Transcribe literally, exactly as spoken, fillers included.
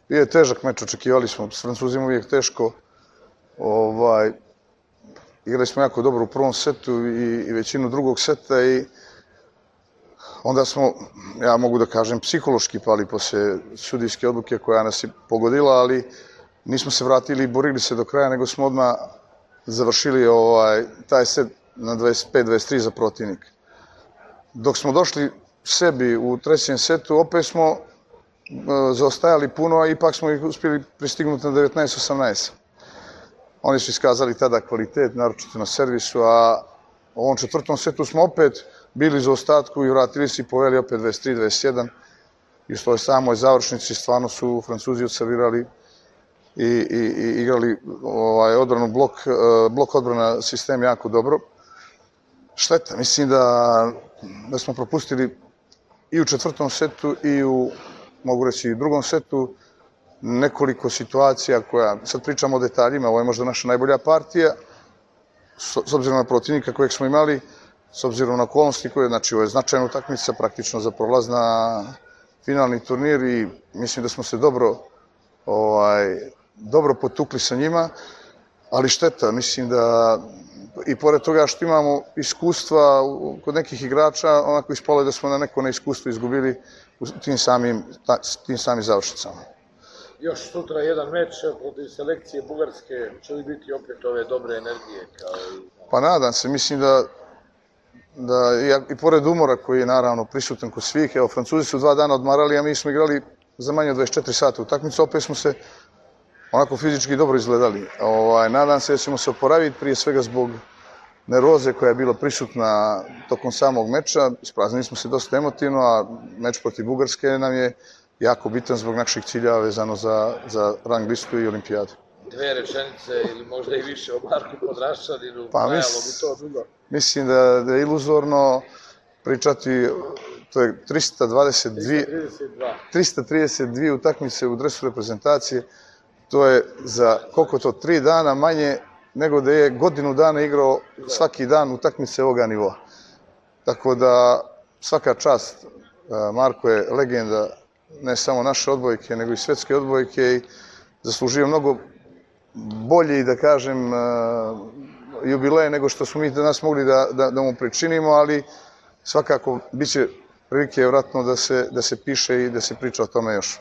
Bio je težak meč, očekivali smo, s Francuzima uvijek teško. Ovaj, igrali smo jako dobro u prvom setu i, i većinu drugog seta i onda smo, ja mogu da kažem, psihološki pali posle sudijske odluke koja nas je pogodila, ali nismo se vratili i borili se do kraja, nego smo odmah završili ovaj, taj set na dvadeset pet dvadeset tri za protivnik. Dok smo došli sebi u trećem setu, opet smo zaostajali puno, a ipak smo ih uspjeli pristignuti na devetnaest osamnaest. Oni su iskazali tada kvalitet, naročito na servisu, a u ovom četvrtom setu smo opet bili za ostatku i vratili se i poveli opet dvadeset tri dvadeset jedan. I u toj samoj završnici stvarno su Francuzi odservirali i, i, i igrali ovaj, odbranu blok, blok odbrana sistem jako dobro. Šteta, mislim da, da smo propustili i u četvrtom setu i u, mogu reći, i drugom setu nekoliko situacija koja, sad pričamo o detaljima, ovo je možda naša najbolja partija, s, s obzirom na protivnika kojeg smo imali, s obzirom na okolnosti koje, znači ovo je značajna utakmica praktično za prolaz na finalni turnir i mislim da smo se dobro, ovaj, dobro potukli sa njima, ali šteta, mislim da i pored toga što imamo iskustva kod nekih igrača, onako ispalo je da smo na neko neiskustvo izgubili u tim samim, tim samim završnicama. Još sutra jedan meč protiv selekcije Bugarske, će li biti opet ove dobre energije? Kao i... Pa nadam se, mislim da, da i, i pored umora koji je naravno prisutan kod svih, evo Francuzi su dva dana odmarali, a mi smo igrali za manje od dvadeset četiri sata utakmicu, opet smo se onako fizički dobro izgledali. Ovaj, nadam se da ćemo se oporaviti prije svega zbog nervoze koja je bila prisutna tokom samog meča. Ispraznili smo se dosta emotivno, a meč protiv Bugarske nam je jako bitan zbog naših cilja vezano za, za rang listu i olimpijadu. Dve rečenice ili možda i više o Marku Podraščaninu, pa trajalo bi to dugo. Mislim da, da je iluzorno pričati, to je trista dvadeset dvije, trista trideset dvije utakmice u dresu reprezentacije, to je za koliko to, tri dana manje nego da je godinu dana igrao svaki dan utakmice ovoga nivoa. Tako da svaka čast, Marko je legenda ne samo naše odbojke, nego i svetske odbojke i zaslužio mnogo bolje i da kažem jubileje nego što smo mi danas mogli da, da, da mu pričinimo, ali svakako bit će prilike vratno da se, da se piše i da se priča o tome još.